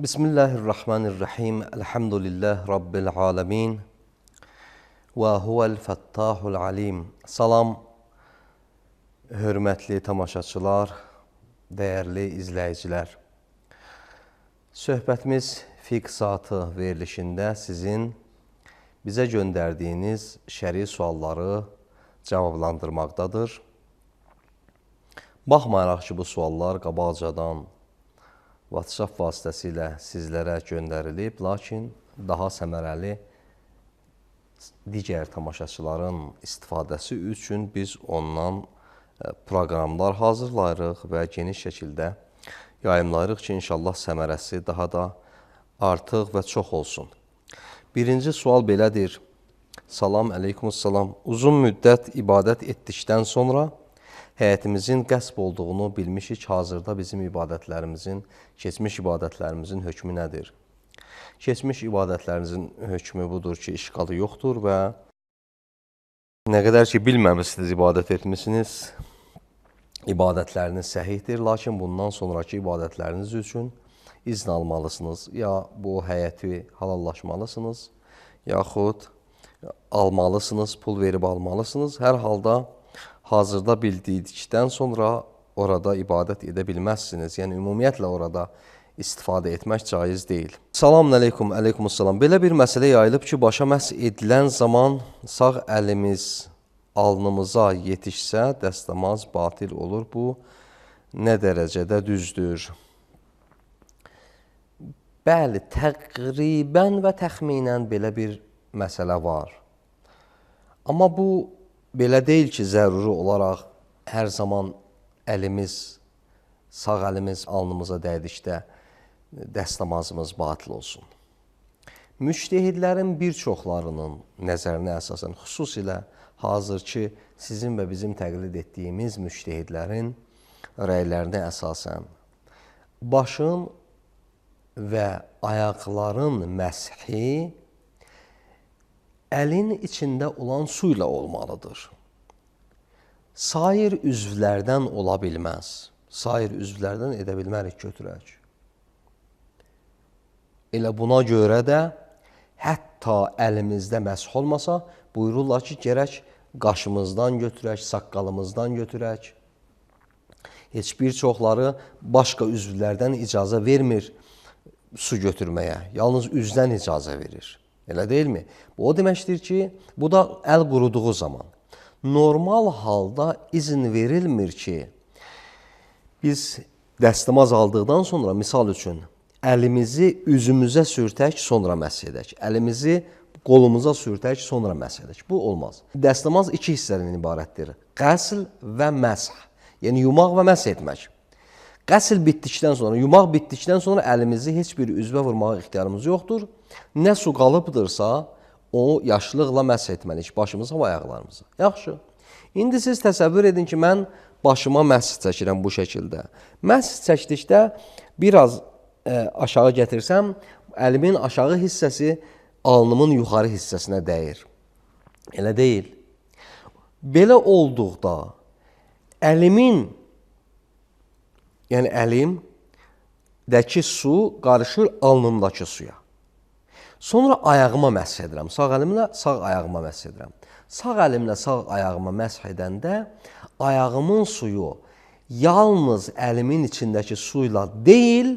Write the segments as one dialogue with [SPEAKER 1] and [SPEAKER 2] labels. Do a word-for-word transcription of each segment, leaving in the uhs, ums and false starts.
[SPEAKER 1] Bismillahirrahmanirrahim. Elhamdülillah Rabbil alemin. Və huvəl fəttahul alim. Salam, hörmətli tamaşaçılar, dəyərli izləyicilər. Söhbətimiz fiqh saatı verilişində sizin bizə göndərdiyiniz şəri sualları cavablandırmaqdadır. Baxmayaraq ki, bu suallar qabaqcadan WhatsApp vasitəsilə sizlərə göndərilib, lakin daha səmərəli digər tamaşaçıların istifadəsi üçün biz ondan proqramlar hazırlayırıq və geniş şəkildə yayımlayırıq ki, inşallah səmərəsi daha da artıq və çox olsun. Birinci sual belədir. Salam, əleykumussalam. Uzun müddət ibadət etdikdən sonra həyətimizin qəsb olduğunu bilmişik, hazırda bizim ibadətlərimizin, keçmiş ibadətlərimizin hökmü nədir? Keçmiş ibadətlərimizin hökmü budur ki, işğalı yoxdur və nə qədər ki, bilməmişsiniz, ibadət etmişsiniz, ibadətləriniz səhihdir, lakin bundan sonraki ibadətləriniz üçün izn almalısınız. Ya bu həyəti halallaşmalısınız, yaxud almalısınız, pul verib almalısınız. Hər halda hazırda bildikdən sonra orada ibadət edə bilməzsiniz. Yəni, ümumiyyətlə orada istifadə etmək caiz deyil. Salam əleykum, əleykumussalam. Belə bir məsələ yayılıb ki, başa məhz edilən zaman sağ əlimiz alnımıza yetişsə, dəstəmaz batil olur. Bu nə dərəcədə düzdür? Bəli, təqribən və təxminən belə bir məsələ var. Amma bu belə deyil ki, zəruri olaraq hər zaman əlimiz, sağ əlimiz alnımıza dəydikdə dəstəmazımız batil olsun. Müctehidlərin bir çoxlarının nəzərinə əsasən, xüsusilə hazırki sizin və bizim təqlid etdiyimiz müctehidlərin rəylərinə əsasən, başın və ayaqların məshi əlin içində olan su ilə olmalıdır. Sair üzvlərdən ola bilməz. Sair üzvlərdən edə bilmərik, götürək. Elə buna görə də hətta əlimizdə məsh olmasa, buyururlar ki, gərək qaşımızdan götürək, saqqalımızdan götürək. Heç bir çoxları başqa üzvlərdən icazə vermir su götürməyə. Yalnız üzdən icazə verir. Elə deyilmi? Bu o deməkdir ki, bu da əl quruduğu zaman. Normal halda izin verilmir ki, biz dəstəmaz aldıqdan sonra, misal üçün, əlimizi üzümüzə sürtək, sonra məsh edək. Əlimizi qolumuza sürtək, sonra məsh edək. Bu olmaz. Dəstəmaz iki hissədən ibarətdir. Qəsl və məsh. Yəni, yumaq və məsh etmək. Qəsl bitdikdən sonra, yumaq bitdikdən sonra əlimizi heç bir üzvə vurmağa ixtiyarımız yoxdur. Nə su qalıbdırsa, o yaşlıqla məsh etməliyik, başımıza və ayaqlarımıza. Yaxşı. İndi siz təsəvvür edin ki, mən başıma məsh çəkirəm bu şəkildə. Məsh çəkdikdə biraz ə, aşağı gətirsəm, əlimin aşağı hissəsi alnımın yuxarı hissəsinə dəyir. Elə deyil. Belə olduqda əlimin, yəni əlimdəki su qarışır alnımdakı suya. Sonra ayağıma məsh edirəm. Sağ əlimlə sağ ayağıma məsh edirəm. Sağ əlimlə sağ ayağıma məsh edəndə ayağımın suyu yalnız əlimin içindəki suyla deyil,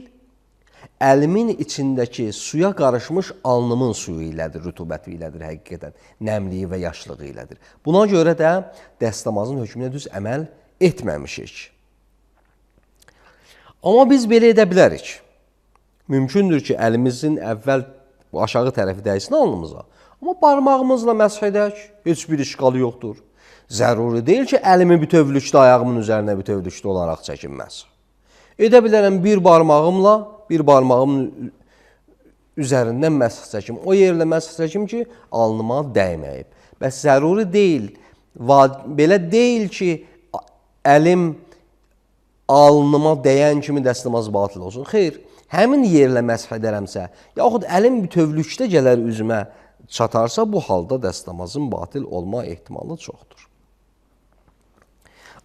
[SPEAKER 1] əlimin içindəki suya qarışmış alnımın suyu ilədir, rütubəti ilədir həqiqətən, nəmliyi və yaşlığı ilədir. Buna görə də dəstəmazın hökmünə düz əməl etməmişik. Amma biz belə edə bilərik. Mümkündür ki, əlimizin əvvəl aşağı tərəfi dəysin alnımıza. Amma barmağımızla məsh edək, heç bir işğalı yoxdur. Zəruri deyil ki, əlimi bütövlükdə ayağımın üzərinə bütövlükdə olaraq çəkinməz. Edə bilərəm bir barmağımla, bir barmağımın üzərindən məsx çəkim. O yerlə məsx çəkim ki, alnıma dəyməyib. Bəs zəruri deyil, belə deyil ki, əlim alnıma dəyən kimi dəstəmaz batil olsun. Xeyr, həmin yerlə məsx edərəmsə, yaxud əlim bütövlükdə gələr üzümə çatarsa, bu halda dəstəmazın batil olma ehtimalı çoxdur.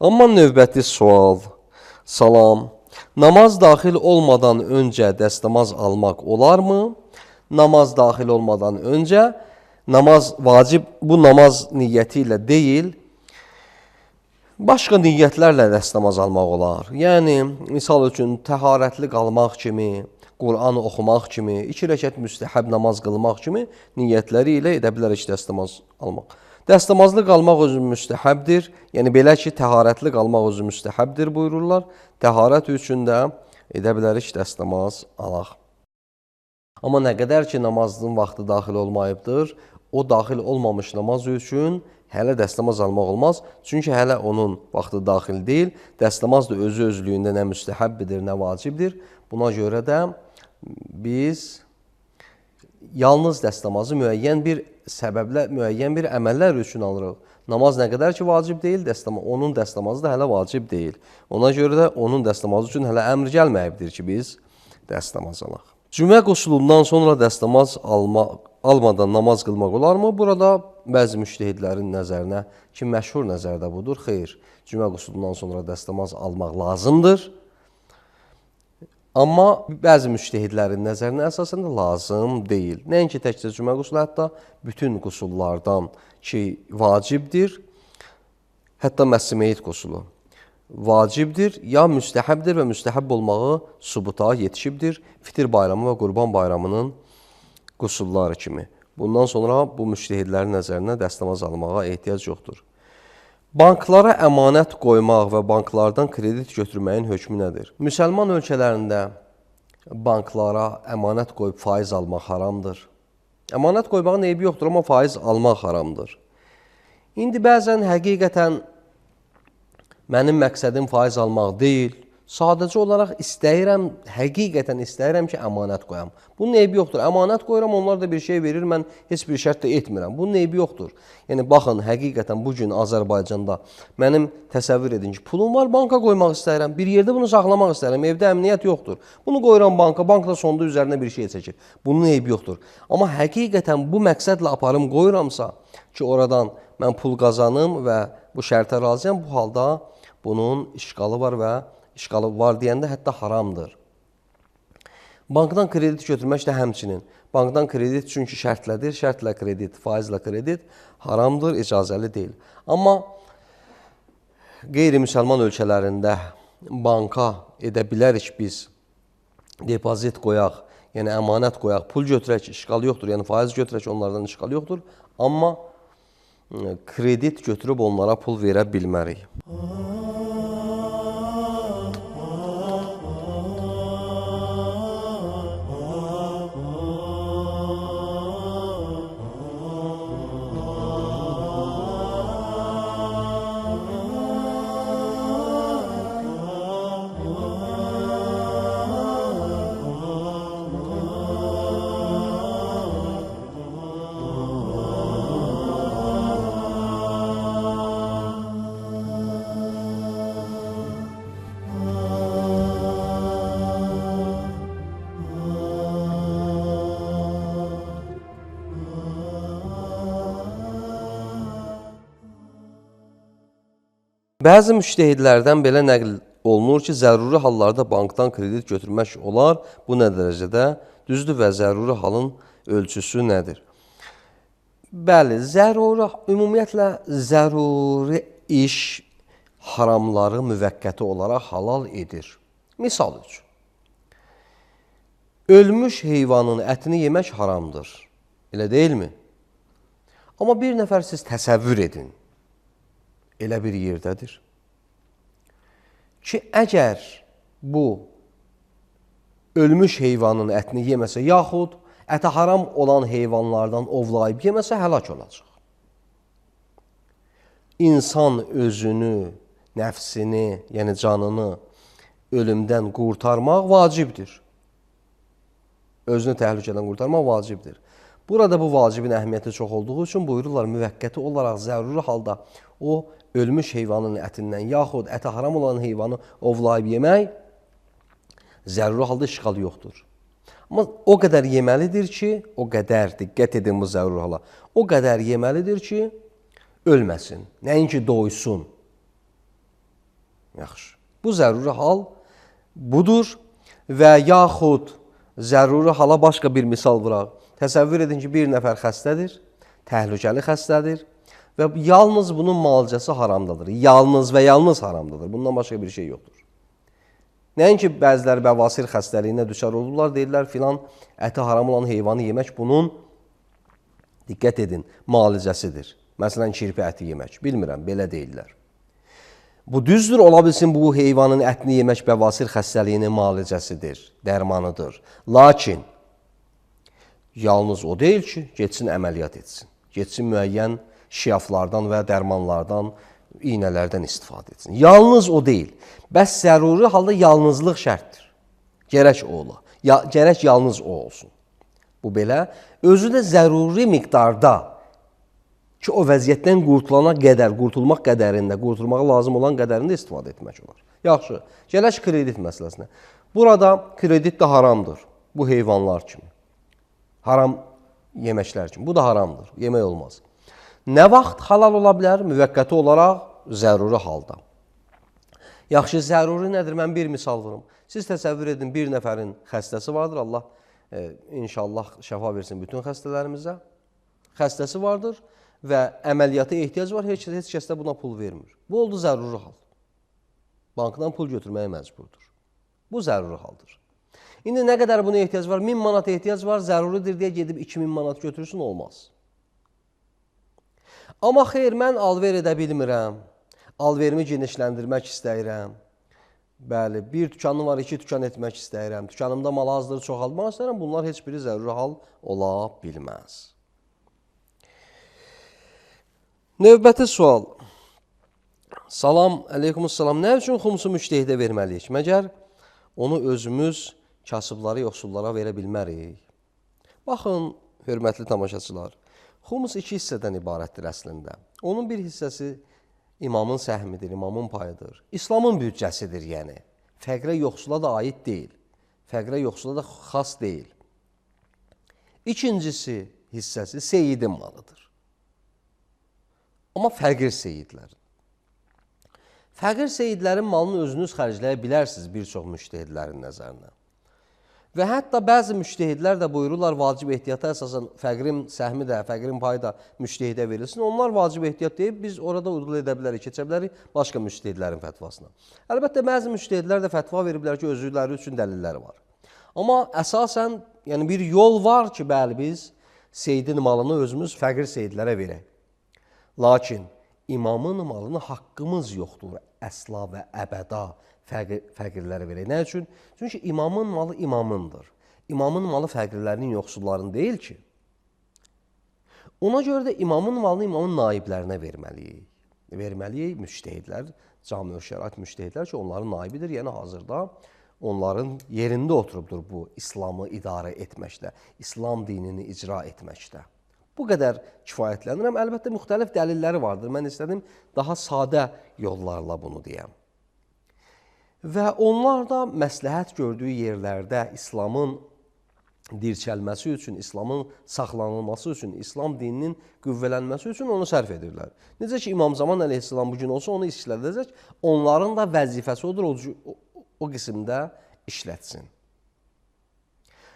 [SPEAKER 1] Amma növbəti sual, salam, namaz daxil olmadan öncə dəstəmaz almaq olarmı? Namaz daxil olmadan öncə, namaz vacib, bu namaz niyyəti ilə deyil, başqa niyyətlərlə dəstəmaz almaq olar. Yəni, misal üçün, təharətli qalmaq kimi, Qur'an oxumaq kimi, iki rəkət müstəhəb namaz qılmaq kimi niyyətləri ilə edə bilərik dəstəmaz almaq. Dəstəmazlı qalmaq özü müstəhəbdir. Yəni, belə ki, təharətli qalmaq özü müstəhəbdir buyururlar. Təharət üçün də edə bilərik dəstəmaz alaq. Amma nə qədər ki, namazın vaxtı daxil olmayıbdır, o daxil olmamış namaz üçün hələ dəstəmaz almaq olmaz. Çünki hələ onun vaxtı daxil deyil. Dəstəmaz da özü özlüyündə nə müstəhəbbidir, nə vacibdir. Buna görə də biz yalnız dəstəmazı müəyyən bir səbəblə, müəyyən bir əməllər üçün alırıq. Namaz nə qədər ki, vacib deyil, dəstəmaz, onun dəstəmazı da hələ vacib deyil. Ona görə də onun dəstəmazı üçün hələ əmr gəlməyibdir ki, biz dəstəmaz alaq. Cümə qusulundan sonra dəstəmaz almaq, almadan namaz qılmaq olarmı? Burada bəzi müştəhidlərin nəzərinə ki, məşhur nəzərdə budur. Xeyr, cümə qusulundan sonra dəstəmaz almaq lazımdır. Amma bəzi müştəhidlərin nəzərinə əsasən də lazım deyil. Nəinki təkcə cümə qusulu, hətta bütün qusullardan ki, vacibdir, hətta məssi-meyit qusulu vacibdir, ya müstəhəbdir və müstəhəb olmağı subuta yetişibdir fitir bayramı və qurban bayramının qusulları kimi. Bundan sonra bu müştəhidlərin nəzərinə dəstəmaz almağa ehtiyac yoxdur. Banklara əmanət qoymaq və banklardan kredit götürməyin hökmü nədir? Müsəlman ölkələrində banklara əmanət qoyub faiz almaq haramdır. Əmanət qoymağın eybi yoxdur, amma faiz almaq haramdır. İndi bəzən həqiqətən mənim məqsədim faiz almaq deyil, sadəcə olaraq istəyirəm, həqiqətən istəyirəm ki, əmanət qoyam. Bunun eybi yoxdur. Əmanət qoyuram, onlar da bir şey verir, mən heç bir şərt də etmirəm. Bunun eybi yoxdur. Yəni, baxın, həqiqətən bugün Azərbaycanda mənim təsəvvür edin ki, pulum var, banka qoymaq istəyirəm, bir yerdə bunu saxlamaq istəyirəm, evdə əmniyyət yoxdur. Bunu qoyuram banka, bank da sonda üzərinə bir şey çəkir. Bunun eybi yoxdur. Amma həqiqətən bu məqsədlə aparım qoyuramsa ki, oradan mən pul qazanım və bu şərtə razıyam, bu halda bunun işqalı var və işqalı var deyəndə hətta haramdır. Bankdan kredit götürmək də həmçinin. Bankdan kredit çünki şərtlədir, şərtlə kredit, faizlə kredit haramdır, icazəli deyil. Amma qeyri-müsəlman ölkələrində banka edə bilərik biz, depozit qoyaq, yəni əmanət qoyaq, pul götürək, işqalı yoxdur, yəni faiz götürək, onlardan işqalı yoxdur. Amma kredit götürüb onlara pul verə bilmərik. Bəzi müştəhidlərdən belə nəql olunur ki, zəruri hallarda bankdan kredit götürmək olar. Bu nə dərəcədə düzdür və zəruri halın ölçüsü nədir? Bəli, zəruri, ümumiyyətlə zəruri iş haramları müvəqqəti olaraq halal edir. Misal üçün, ölmüş heyvanın ətini yemək haramdır, elə deyilmi? Amma bir nəfər siz təsəvvür edin, elə bir yerdədir ki, əgər bu ölmüş heyvanın ətini yeməsə, yaxud əti haram olan heyvanlardan ovlayıb yeməsə, həlak olacaq. İnsan özünü, nəfsini, yəni canını ölümdən qurtarmaq vacibdir. Özünü təhlükədən qurtarmaq vacibdir. Burada bu vacibin əhəmiyyəti çox olduğu üçün buyururlar, müvəqqəti olaraq zəruri halda o ölmüş heyvanın ətindən, yaxud əti haram olan heyvanı ovlayıb yemək zəruri halda işğal yoxdur. Amma o qədər yeməlidir ki, o qədər, diqqət edin bu zəruri hala, o qədər yeməlidir ki, ölməsin, nəinki doysun. Yaxşı. Bu zəruri hal budur və yaxud zəruri hala başqa bir misal vuraq. Təsəvvür edin ki, bir nəfər xəstədir, təhlükəli xəstədir və yalnız bunun müalicəsi haramdadır. Yalnız və yalnız haramdadır. Bundan başqa bir şey yoxdur. Nəinki bəziləri bəvasir xəstəliyinə düşər olurlar, deyirlər filan əti haram olan heyvanı yemək bunun, diqqət edin, müalicəsidir. Məsələn, kirpi əti yemək. Bilmirəm, belə deyirlər. Bu düzdür, ola bilsin bu heyvanın ətini yemək bəvasir xəstəliyinin müalicəsidir, dərmanıdır. Lakin, yalnız o deyil ki, getsin əməliyyat etsin. Getsin müəyyən şiaflardan və dərmanlardan, iynələrdən istifadə etsin. Yalnız o deyil. Bəs zəruri halda yalnızlıq şərtdir. Gərək o ola. Ya, gərək yalnız o olsun. Bu belə, özü də zəruri miqdarda ki, o vəziyyətdən qurtulana qədər, qurtulmaq qədərində, qurtulmağa lazım olan qədərində istifadə etmək olar. Yaxşı, gələk kredit məsələsinə. Burada kredit də haramdır, bu heyvanlar kimi. Haram yeməklər kimi. Bu da haramdır, yemək olmaz. Nə vaxt halal ola bilər? Müvəqqəti olaraq zəruri halda. Yaxşı, zəruri nədir? Mən bir misal vurum. Siz təsəvvür edin, bir nəfərin xəstəsi vardır. Allah e, inşallah şəfa versin bütün xəstələrimizə. Xəstəsi vardır və əməliyyata ehtiyac var. Heç, heç kəs də buna pul vermir. Bu oldu zəruri hal. Bankdan pul götürməyə məcburdur. Bu zəruri haldır. İndi nə qədər buna ehtiyac var? min manat ehtiyac var, zəruridir deyə gedib iki min manat götürürsün, olmaz. Amma xeyr, mən alver edə bilmirəm, alverimi genişləndirmək istəyirəm. Bəli, bir dükanım var, iki dükan etmək istəyirəm, dükanımda mal azdır, çoxaltmaq istəyirəm, bunlar heç biri zəruri hal ola bilməz. Növbəti sual. Salam, əleykumussalam. Nə üçün xumsu müştehidə verməliyik? Məgər onu özümüz kasıbları, yoxsullara verə bilmərik. Baxın, hörmətli tamaşaçılar, xumus iki hissədən ibarətdir əslində. Onun bir hissəsi imamın səhmidir, imamın payıdır. İslamın büdcəsidir, yəni. Fəqrə, yoxsula da aid deyil. Fəqrə, yoxsula da xas deyil. İkincisi hissəsi seyidin malıdır. Amma fəqir seyidlərin. Fəqir seyidlərin malını özünüz xərcləyə bilərsiniz bir çox müştehidlərin nəzərinə. Və hətta bəzi müştehidlər də buyururlar, vacib ehtiyata əsasən fəqrin səhmi də, fəqrin payı da müştehidə verilsin. Onlar vacib ehtiyat deyib, biz orada udul edə bilərik, keçə bilərik başqa müştehidlərin fətvasına. Əlbəttə, bəzi müştehidlər də fətva veriblər ki, özləri üçün dəlilləri var. Amma əsasən, yəni bir yol var ki, bəli, biz seyidin malını özümüz fəqir seyidlərə verək. Lakin imamın malını haqqımız yoxdur, əsla və əbəda fəqir, fəqirlərə verək. Nə üçün? Çünki imamın malı imamındır. İmamın malı fəqirlərinin, yoxsulların deyil ki. Ona görə də imamın malını imamın naiblərinə verməliyik. Verməliyik müştehidlər, cami-ü şərait müştehidlər ki, onların naibidir. Yəni hazırda onların yerində oturubdur bu İslamı idarə etməkdə, İslam dinini icra etməkdə. Bu qədər kifayətlənirəm. Əlbəttə, müxtəlif dəlilləri vardır. Mən istədim daha sadə yollarla bunu deyəm. Və onlar da məsləhət gördüyü yerlərdə İslamın dirçəlməsi üçün, İslamın saxlanılması üçün, İslam dininin qüvvələnməsi üçün onu sərf edirlər. Necə ki, İmam Zaman əleyhissalam bugün olsa onu işlədəcək, onların da vəzifəsi odur, o, o, o qismdə işlətsin.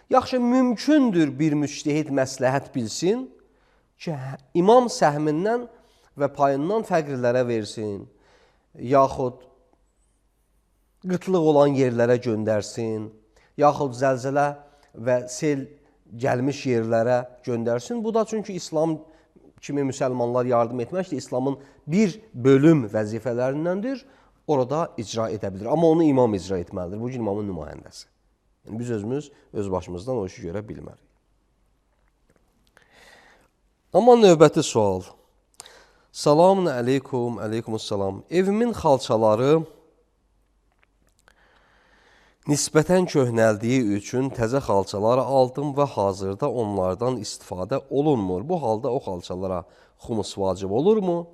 [SPEAKER 1] Yaxşı, mümkündür bir müştehid məsləhət bilsin ki, imam səhmindən və payından fəqirlərə versin, yaxud qıtlıq olan yerlərə göndərsin, yaxud zəlzələ və sel gəlmiş yerlərə göndərsin. Bu da çünki İslam kimi müsəlmanlar yardım etməkdir. İslamın bir bölüm vəzifələrindəndir. Orada icra edə bilir. Amma onu imam icra etməlidir. Bu gün imamın nümayəndəsi. Yəni, biz özümüz öz başımızdan o işi görə bilmərik. Amma növbəti sual. Salamun əleykum, əleykumussalam. Evimin xalçaları nisbətən köhnəldiyi üçün təzə xalçalar aldım və hazırda onlardan istifadə olunmur. Bu halda o xalçalara xumus vacib olurmu?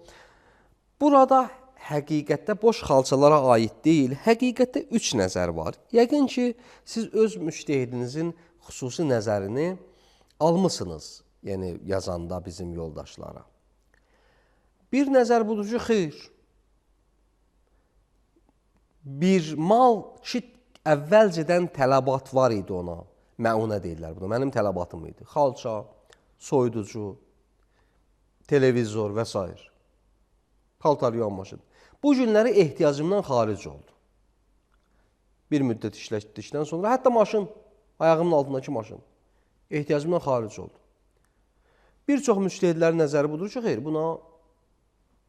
[SPEAKER 1] Burada həqiqətdə boş xalçalara aid deyil, həqiqətdə üç nəzər var. Yəqin ki, siz öz müştehidinizin xüsusi nəzərini almısınız, yəni yazanda bizim yoldaşlara. Bir nəzər budur ki, xeyr. Bir mal ki, əvvəlcədən tələbat var idi ona. Məunə deyirlər buna. Mənim tələbatım idi. Xalça, soyuducu, televizor və s. Paltar yuyan maşın. Bu günləri ehtiyacımdan xaric oldu. Bir müddət işlətdikdən sonra, hətta maşın, ayağımın altındakı maşın, ehtiyacımdan xaric oldu. Bir çox müştehidlərin nəzəri budur ki, xeyr, buna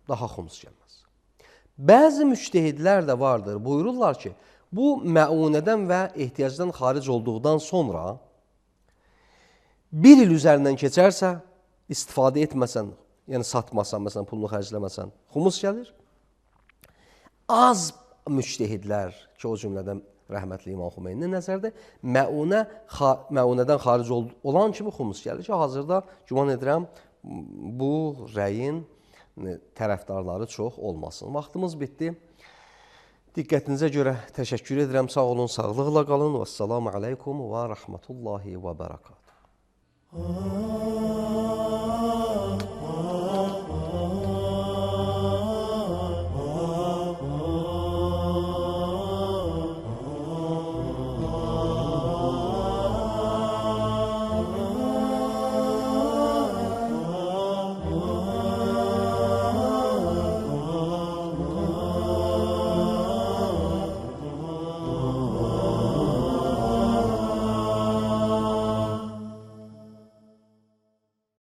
[SPEAKER 1] daha xumus gəlməz. Bəzi müştehidlər də vardır, buyururlar ki, bu məunədən və ehtiyacdan xaric olduqdan sonra bir il üzərindən keçərsə, istifadə etməsən, yəni satmasan, məsələn, pulunu xərcləməsən, xumus gəlir. Az müştehidlər ki, o cümlədən rəhmətli İmam Xümeyninin nəzərdə məunə, məunədən xaric olan kimi xumus gəlir ki, hazırda güman edirəm bu rəyin tərəfdarları çox olmasın. Vaxtımız bitdi. Diqqətinizə görə təşəkkür edirəm. Sağ olun, sağlıqla qalın. Vəssalamu aleykum və rəhmətullahi və bərəkatuhu.